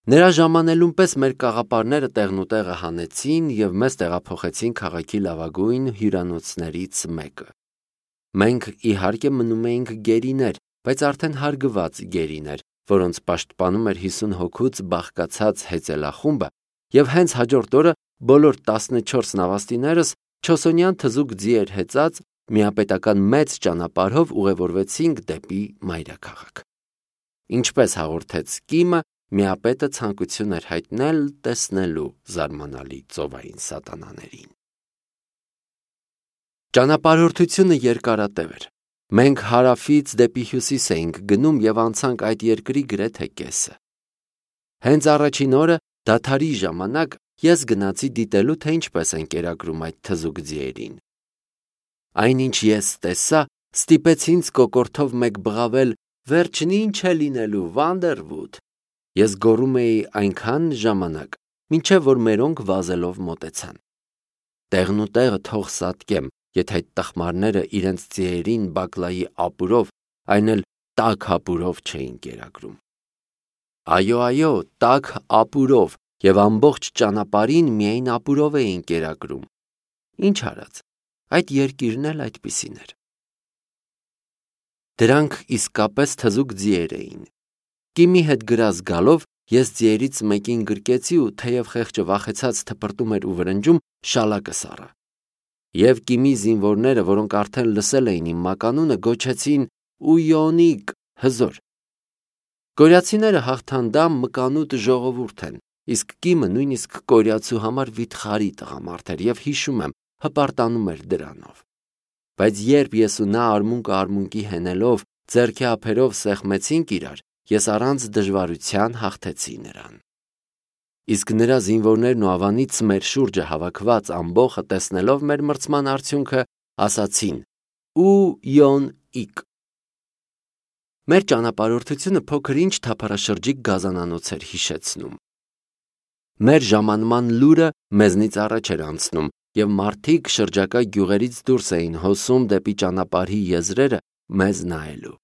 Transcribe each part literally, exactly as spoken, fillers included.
Նրա ժամանելուն պես մեր կաղապարները տեղնուտեղը հանեցին և մեզ տեղափոխեցին քաղաքի լավագույն հյուրանոցներից մեկը։ Մենք իհարկե մնում էինք գերիներ, բայց արդեն հարգված գերիներ, որոնց պաշտպանում էր հիսուն հոգուց բաղկացած հեծելախումբը, և հենց հաջորդ օրը բոլոր տասնչորս նավաստիներս չոսոնյան թզուկ ձիեր հեծած միապետական մեծ ճանապարհով ուղևորվեցինք դեպի մայրաքաղաք։ Ինչպես հաղորդեց Կիմը, միապետը ցանկություն էր հայտնել տեսնելու զարմանալի ծովային սատանաներին։ Ճանապարհորդությունը երկարատև էր։ Մենք հարավից դեպի հյուսիս էինք գնում և անցանք այդ երկրի գրեթե կեսը։ Հենց առաջին օրը դադարի ժամանակ ես գնացի դիտելու, թե ինչպես են կերակրում այդ թզուկ ձիերին։ Այնինչ ես տեսա, ստիպեց ինձ կոկորդով մեկ բղավել. «Վերջն ինչ է լինելու, Վանդերվուդ»։ Ես գոռում էի այնքան ժամանակ, մինչև որ մերոնք վազելով մոտեցան։ Տեղնուտեղը թող սատկեմ, եթե այդ տխմարները իրենց ձիերին բակլայի ապուրով, այն էլ տաք ապուրով չէին կերակրում։ Այո, այո, տաք ապուրով, և ամբողջ ճանապարհին միայն ապուրով էին կերակրում։ Ինչ արած, այդ երկիրն էլ այդպիսին էր։ Դրանք իսկապես թզուկ ձիեր էին։ Կիմի հետ գրազ գալով ես ձիերից մեկին գրկեցի ու թեև խեղճը վախեցած թպրտում էր ու վրնջում, շալակս առա։ Եվ Կիմի զինվորները, որոնք արդեն լսել էին իմ մականունը, գոչեցին. «Ույոնիկ, հզոր»։ Կորյացիները հաղթանդամ մկանուտ ժողովուրդ են, իսկ Կիմը նույնիսկ կորյացու համար վիթխարի տղամարդ էր և հիշում եմ, հպարտանում էր դրանով։ Բայց երբ ես ու նա արմունկը արմունկի հենելով, ձեռքի ափերով սեղմեցինք իրար, ես առանց դժվարության հաղթեցի նրան։ Իսկ նրա զինվորներն ու ավանից մեր շուրջը հավաքված ամբոխը տեսնելով մեր մրցման արդյունքը, ասացին. «Ու-յոն-իկ»։ Մեր ճանապարհորդությունը փոքր-ինչ թափառաշրջիկ գազանանոց էր հիշեցնում։ Մեր ժամանման լուրը մեզնից առաջ էր անցնում, և մարդիկ շրջակա գյուղերից դուրս էին հոսում դեպի ճանապարհի եզրերը մեզ նայելու։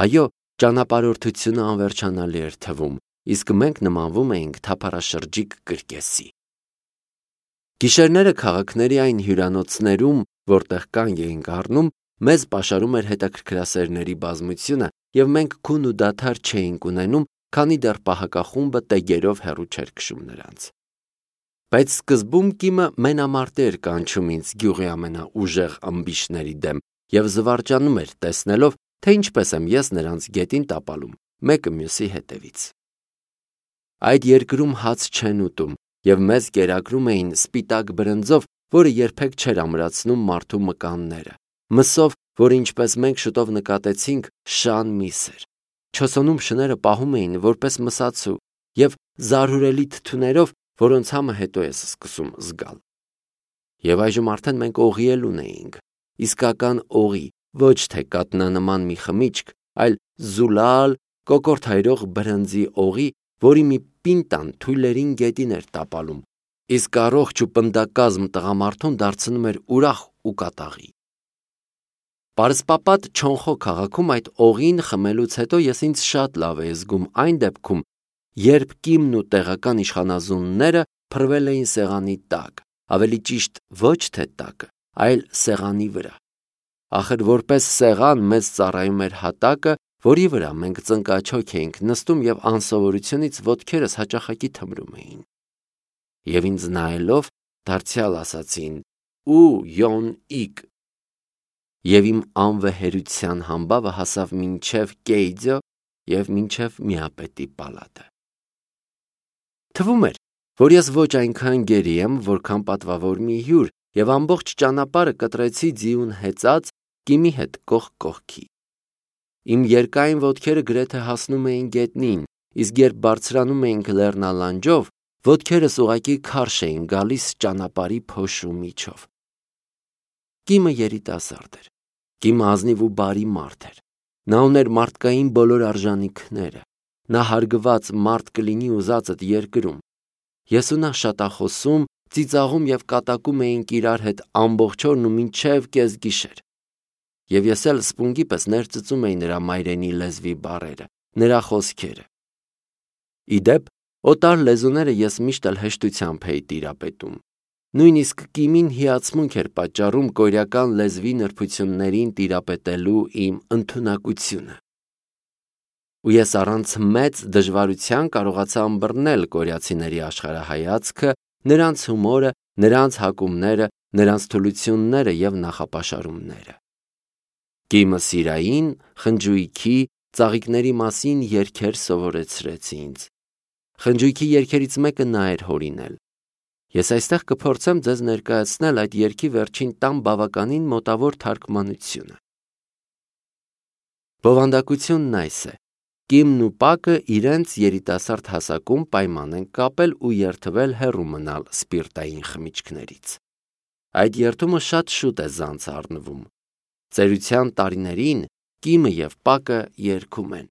Այո, ճանապարհորդությունը անվերջանալի էր թվում, իսկ մենք նմանվում էինք թափառաշրջիկ կրկեսի։ Գիշերները քաղաքների այն հյուրանոցներում, որտեղ կանգ էինք առնում, մեզ պաշարում էր հետաքրքրասերների բազմությունը, և մենք քուն ու դադար չէինք ունենում, քանի դեռ պահակախումբը տեգերով հեռու չէր քշում նրանց։ Բայց սկզբում Կիմը մենամարտի էր կանչում ինձ գյուղի ամենաուժեղ ըմբիշների դեմ և զվարճանում էր տեսնելով, թե ինչպես եմ ես նրանց գետին տապալում, մեկը մյուսի հետևից։ Այդ երկրում հաց չեն ուտում, և մեզ կերակրում էին սպիտակ բրնձով, որը երբեք չէր ամրացնում մարդու մկանները, մսով, որը ինչպես մենք շուտով նկատեցինք, շան միս էր։ Չոսոնում շները պահում էին որպես մսացու և զարհուրելի թթուներով, որոնց համը հետո ես սկսում զգալ։ Եվ այժմ արդեն մենք օղի էլ ունեինք, իսկական օղի, ոչ թե կատնանման մի խմիչք, այլ զուլալ, կոկորդ հայրող բրնձի օղի, որի մի պինտան թույլերին գետին էր տապալում, իսկ առողջ ու պնդակազմ տղամարդուն դարձնում էր ուրախ ու կատաղի։ Պարսպապատ Չոնխո քաղաքում այդ օղին խմելուց հետո ես ինձ շատ լավ էի զգում այն դեպքում, երբ Կիմն ու տեղական իշխանազունները փռվել էին սեղանի տակ, ավելի ճիշտ ոչ թե տակը, այլ սեղանի վրա։ Ախր որպես սեղան մեզ ծառայում էր հատակը, որի վրա մենք ծնկաչոք էինք նստում և անսովորությունից ոտքերս հաճախակի թմրում էին։ Եվ ինձ նայելով դարձյալ ասացին. «Ու-յոն-իկ»։ Եվ իմ անվեհերության համբավը հասավ մինչև Կեյձո և մինչև միապետի պալատը։ Թվում էր, որ ես ոչ այնքան գերի եմ, որքան պատվավոր մի հյուր, և ամբողջ ճանապարհը կտրեցի ձիուն հեծած Կիմի հետ կողք կողքի։ Իմ երկայն ոտքերը գրեթե հասնում էին գետնին, իսկ երբ բարձրանում էինք լեռնալանջով, ոտքերս ուղղակի քարշ էին գալիս ճանապարհի փոշու միջով։ Կիմը երիտասարդ էր։ Կիմը ազնիվ ու բարի մարդ էր։ Նա ուներ մարդկային բոլոր արժանինքները։ Նա հարգված մարդ կլինի ուզածդ երկրում։ Ես ու նա շատախոսում, ծիծաղում և կատակում էինք իրար հետ ամբողջ օրն ու մինչև կեսգիշեր։ Եվ ես էլ սպունգի պես ներծծում էի նրա մայրենի լեզվի բառերը, նրա խոսքերը։ Ի դեպ, օտար լեզուները ես միշտ էլ հեշտությամբ էի տիրապետում։ Նույնիսկ կիմին հիացմունք էր պատճառում կորեական լեզվի նրբություններին տիրապետելու իմ ընդունակությունը։ Ու ես առանց մեծ դժվարության կարողացա ըմբռնել կորեացիների աշխարհայացքը, նրանց հումորը, նրանց հակումները, նրանց թուլությունները եւ նախապաշարումները։ Կիմը սիրային, խնջույքի, ծաղիկների մասին երգեր սովորեցրեց ինձ։ Խնջույքի երգերից մեկը նա էր հորինել։ Ես այստեղ կփորձեմ ձեզ ներկայացնել այդ երգի վերջին տան բավականին մոտավոր թարգմանությունը։ Բովանդակությունն այս է. Կիմն ու Պակը իրենց երիտասարդ հասակում պայման են կապել ու երդվել հեռու մնալ սպիրտային խմիչքներից։ Այդ երդումը շատ շուտ է զանց առնվում։ Ծերության տարիներին Կիմը եւ Պակը երգում են.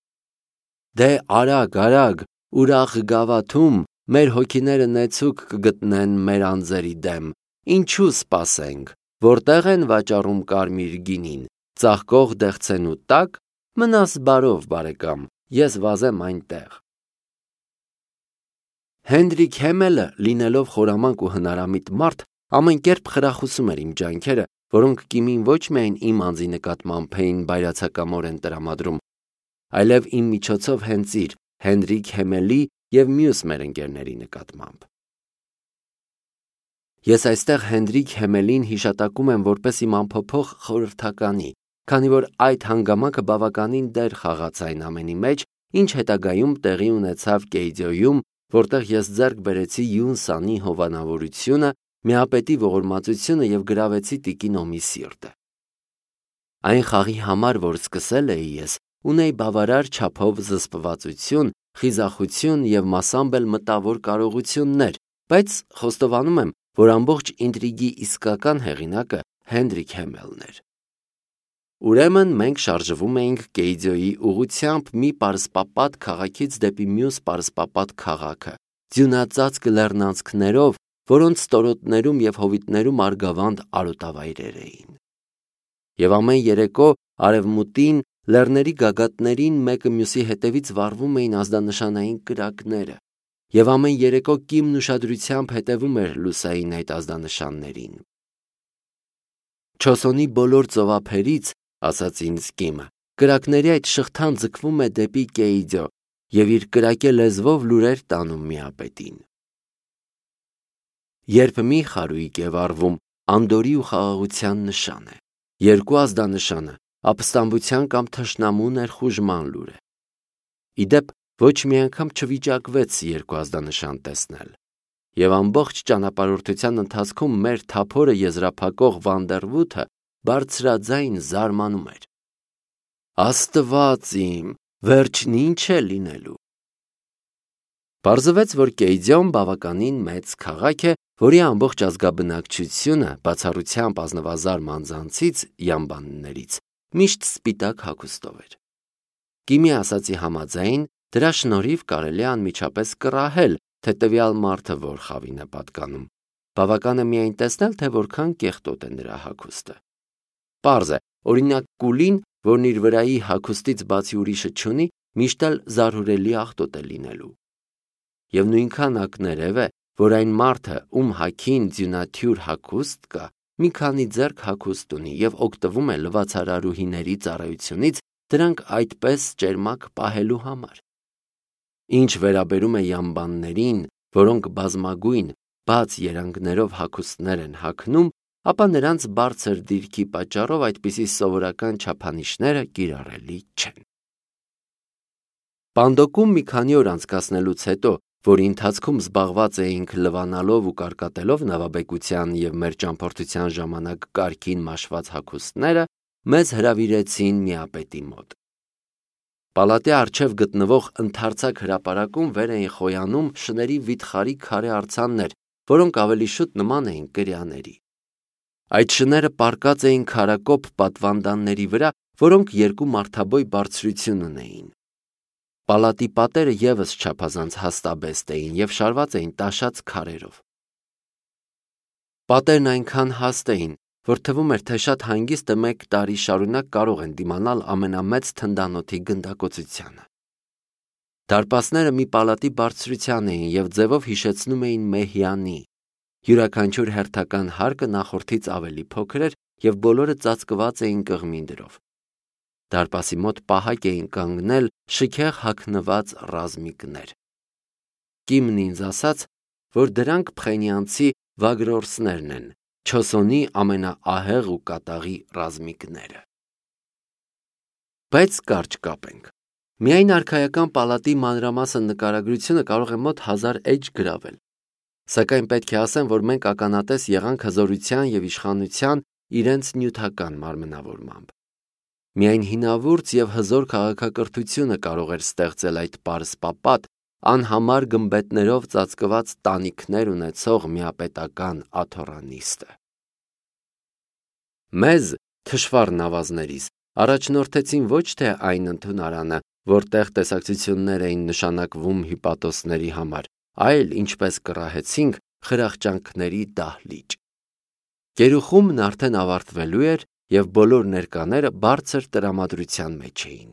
Դե արագ, արագ, ուրախ գավաթում մեր հոգիները նեցուկ կգտնեն մեր անձերի դեմ, ինչու սպասենք, որտեղ են վաճառում կարմիր գինին, ծաղկող դեղցենու տակ, մնաս բարով բարեկամ, ես վազեմ այնտեղ։ Հենրիկ Հեմելը, լինելով խորամանկ ու հնարամիտ մարդ, ամեն կերպ խրախուսում էր իմ ջանքերը, որոնք Կիմին ոչ միայն իմ անձի նկատմամբ էին բայրացակամորեն տրամադրում, այլև իմ միջոցով հենց իր Հենրիկ Հեմելի և մյուս մեր ընկերների նկատմամբ։ Ես այստեղ Հենրիկ Հեմելին հիշատակում եմ որպես իմ անփոփոխ խորհրդականի, քանի որ այդ հանգամանքը բավականին դեր խաղաց այն ամենի մեջ, ինչ հետագայում տեղի ունեցավ Կեյդյոյում, որտեղ ես ձեռք բերեցի Յունսանի հովանավորությունը, միապետի ողորմածությունը և գրավեցի տիկին Օմի սիրտը։ Այն խաղի համար, որ սկսել էի ես, ունեի բավարար չափով զսպվածություն, խիզախություն և մասամբ էլ մտավոր կարողություններ, բայց խոստովանում եմ, որ ամբողջ ինտրիգի իսկական հեղինակը Հենրիկ Հեմելն էր։ Ուրեմն մենք շարժվում էինք Կեյդյոյի ուղղությամբ մի պարսպապատ քաղաքից դեպի մյուս պարսպապատ քաղաքը, ձյունածածկ լեռնանցքներով, որոնց ստորոտներում և հովիտներում արգավանդ արոտավայրեր էին։ Եվ ամեն երեկո արևմուտին լեռների գագաթներին մեկը մյուսի հետևից վառվում էին ազդանշանային կրակները, և ամեն երեկո Կիմն ուշադրությամբ հետևում էր լուսային այդ ազդանշաններին։ Չոսոնի բոլոր ծովափերից, ասաց ինձ Կիմը, կրակների այդ շղթան ձգվում է դեպի Կեյդյո և իր կրակե լեզվով լուրեր տանում միապետին։ Երբ մի խարույկ է վառվում, անդորի ու խաղաղության նշան է, երկու ազդանշանը ապստամբության կամ թշնամու ներխուժման լուր է։ Ի դեպ, ոչ մի անգամ չվիճակվեց երկու ազդանշան տեսնել, և ամբողջ ճանապարհորդության ընթացքում մեր թափորը եզրափակող Վանդերվութը բարձրաձայն զարմանում էր. Աստված իմ, վերջն ինչ է լինելու։ Պարզվեց, որ Կեյդյոն բավականին մեծ քաղաք է, որի ամբողջ ազգաբնակչությունը, բացառությամբ ազնվազար մանձանցից, յամբաններից, միշտ սպիտակ հագուստով էր։ Կիմի ասացի համաձայն, դրա շնորհիվ կարելի է անմիջապես կռահել, թե տվյալ մարդը որ խավին է պատկանում։ Բավական է միայն տեսնել, թե որքան կեղտոտ է նրա հագուստը։ Պարզ է, օրինակ կուլին, որն իր վրայի հագուստից բացի ուրիշը չունի, միշտ էլ զարհուրելի աղտոտ է լինելու։ Եվ նույնքան ակներև է, որ այն մարդը, ում հագին ձյունաթյուր հագուստ կա, մի քանի ձեռք հագուստ ունի և օգտվում է լվացարարուհիների ծառայությունից դրանք այդպես ճերմակ պահելու համար։ Ինչ վերաբերում է յամբաններին, որոնք բազմագույն, բաց երանգներով հագուստներ են հագնում, ապա նրանց բարձր դիրքի պատճառով այդպիսի սովորական չափանիշները կիրառելի չեն։ Պանդոկում մի քանի օր անցկացնելուց հետո, որի ընթացքում զբաղված էինք լվանալով ու կարկատելով նավաբեկության և մեր ճամփորդության ժամանակ կարգին մաշված հագուստները, մեզ հրավիրեցին միապետի մոտ։ Պալատի առջև գտնվող ընդարձակ հրապարակում վեր էին խոյանում շների վիթխարի քարե արձաններ, որոնք ավելի շուտ նման էին կրյաների։ Այդ շները պառկած էին քարակոպ պատվանդանների վրա, որոնք երկու մարդաբոյ բարձրություն ունեին։ Պալատի պատերը ևս չափազանց հաստաբեստ էին և շարված էին տաշած քարերով։ Պատերն այնքան հաստ էին, որ թվում էր, թե շատ հանգիստը մեկ տարի շարունակ կարող են դիմանալ ամենամեծ թնդանոթի գնդակոծությանը։ Դարպասները մի պալատի բարձրության էին և ձևով հիշեցնում էին մեհյանի։ Յուրաքանչյուր հերթական հարկը նախորդից ավելի փոքր էր և բոլորը ծածկված էին կղմինդրով։ Դարպասի մոտ պահակ էին կանգնել շքեղ հագնված ռազմիկներ։ Կիմն ինձ ասաց, որ դրանք փխենյանցի վագրորսներն են, Չոսոնի ամենաահեղ ու կատաղի ռազմիկները։ Բայց կարճ կապենք։ Միայն արքայական պալատի մանրամասն նկարագրությունը կարող է մոտ հազար էջ գրավել։ Սակայն պետք է ասեմ, որ մենք ականատես եղանք հզորության և իշխանության իրենց նյութական մարմնավորմամբ։ Միայն հինավուրց և հզոր քաղաքակրթությունը կարող էր ստեղծել այդ պարսպապատ, անհամար գմբեթներով ծածկված տանիքներ ունեցող միապետական աթոռանիստը։ Մեզ, թշվառ նավազներիս, առաջնորդեցին ոչ թե այն ընդունարանը, որտեղ տեսակցություններ էին նշանակվում հիպատոսների համար, այլ, ինչպես կռահեցինք, խրախճանքների դահլիճ։ Գերուխումն արդեն ավարտվելու էր և բոլոր ներկաները բարձր տրամադրության մեջ էին։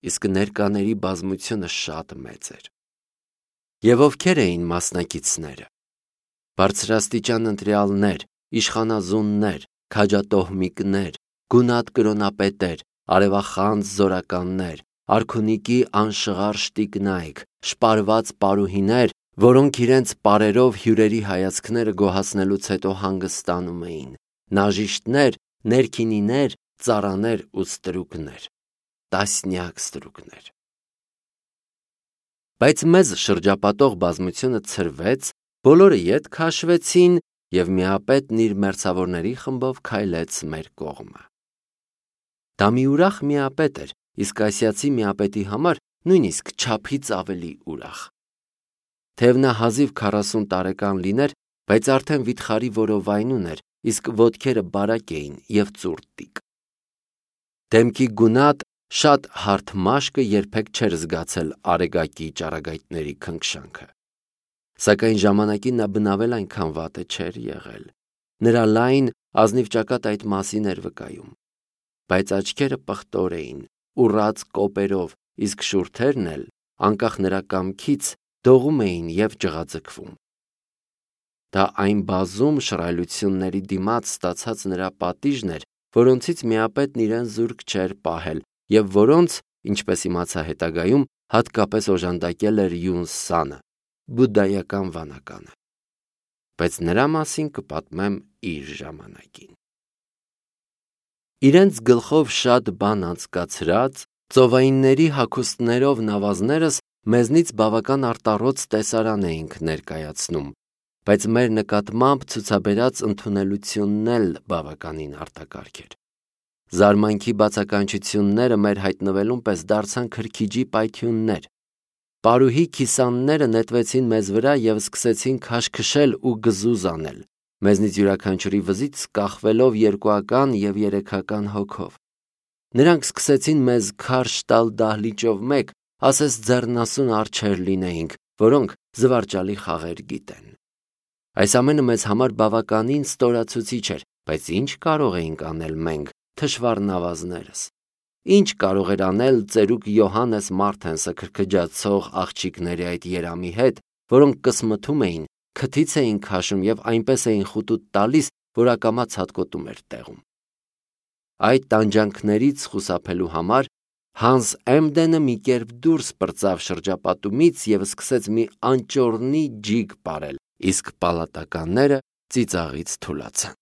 Իսկ ներկաների բազմությունը շատ մեծ էր։ Եվ ովքեր էին մասնակիցները։ Բարձրաստիճան ընտրյալներ, իշխանազուններ, քաջատոհմիկներ, գունատ կրոնապետեր, արևախանձ զորականներ, արքունիքի անշղարշ տիկնայք, շպարված պարուհիներ, որոնք իրենց պարերով հյուրերի հայացքները գոհացնելուց հետո հանգստանում էին, նաժիշտներ, ներքինիներ, ծառաներ ու ստրուկներ, տասնյակ ստրուկներ։ Բայց մեզ շրջապատող բազմությունը ցրվեց, բոլորը ետ քաշվեցին և միապետն իր մերձավորների խմբով քայլեց մեր կողմը։ Դա մի ուրախ միապետ էր, իսկ ասիացի միապետի համար նույնիսկ չափից ավելի ուրախ։ Թեև նա հազիվ քառասուն տարեկան լիներ, բայց արդեն վիթխարի որովայնուն էր, իսկ ոտքերը բարակ էին և ծուռտիկ։ Դեմքի գունատ, շատ հարթ մաշկը երբեք չէր զգացել արեգակի ճառագայթների քնքշանքը։ Սակայն ժամանակին նա բնավել այնքան վատը չէր եղել։ Նրա լայն, ազնիվ ճակատը այդ մասին էր վկայում։ Բայց աչքերը պղտոր էին, ուռած կոպերով, իսկ շուրթերն էլ, անկախ նրա կամքից, դողում էին և ջղաձգվում։ Դա այն բազում շռայլությունների դիմաց ստացած նրա պատիժն էր, որոնցից միապետն իրեն զուրկ չէր պահել և որոնց, ինչպես իմացա հետագայում, հատկապես օժանդակել էր Յուն Սանը, բուդդայական վանականը։ Բայց նրա մասին կպատմեմ իր ժամանակին։ Իրենց գլխով շատ բան անցկացրած, ծովայինների հագուստներով նավազներս մեզնից բավական արտառոց տեսարան էինք ներկայացնում, բայց մեր նկատմամբ ցուցաբերած ընդունելությունն էլ բավականին արտակարգ էր։ Զարմանքի բացականչությունները մեր հայտնվելուն պես դարձան քրքիջի պայթյուններ։ Պարուհի քիսանները նետվեցին մեզ վրա և սկսեցին քաշքշել ու գզուզ անել, մեզնից յուրաքանչյուրի վզից կախվելով երկուական և երեքական հոգով։ Նրանք սկսեցին մեզ քարշ տալ դահլիճով մեկ, ասես ձեռնասուն արջեր լինեինք, որոնք զվարճալի խաղեր գիտեն։ Այս ամենը մեզ համար բավականին ստորացուցիչ էր, բայց ինչ կարող էինք անել մենք, թշվառ նավազներս։ Ինչ կարող էր անել ծերուկ Յոհաննես Մարթենսը քրքջացող աղջիկների այդ երամի հետ, որոնք կսմթում էին, քթից էին քաշում և այնպես էին խուտուտ տալիս, որ ակամա ցատկոտում էր տեղում։ Այդ տանջանքներից խուսափելու համար Հանս Էմդենը մի կերպ դուրս պրծավ շրջապատումից և սկսեց մի անճոռնի ջիգ պարել, իսկ պալատականները ծիծաղից թուլացան։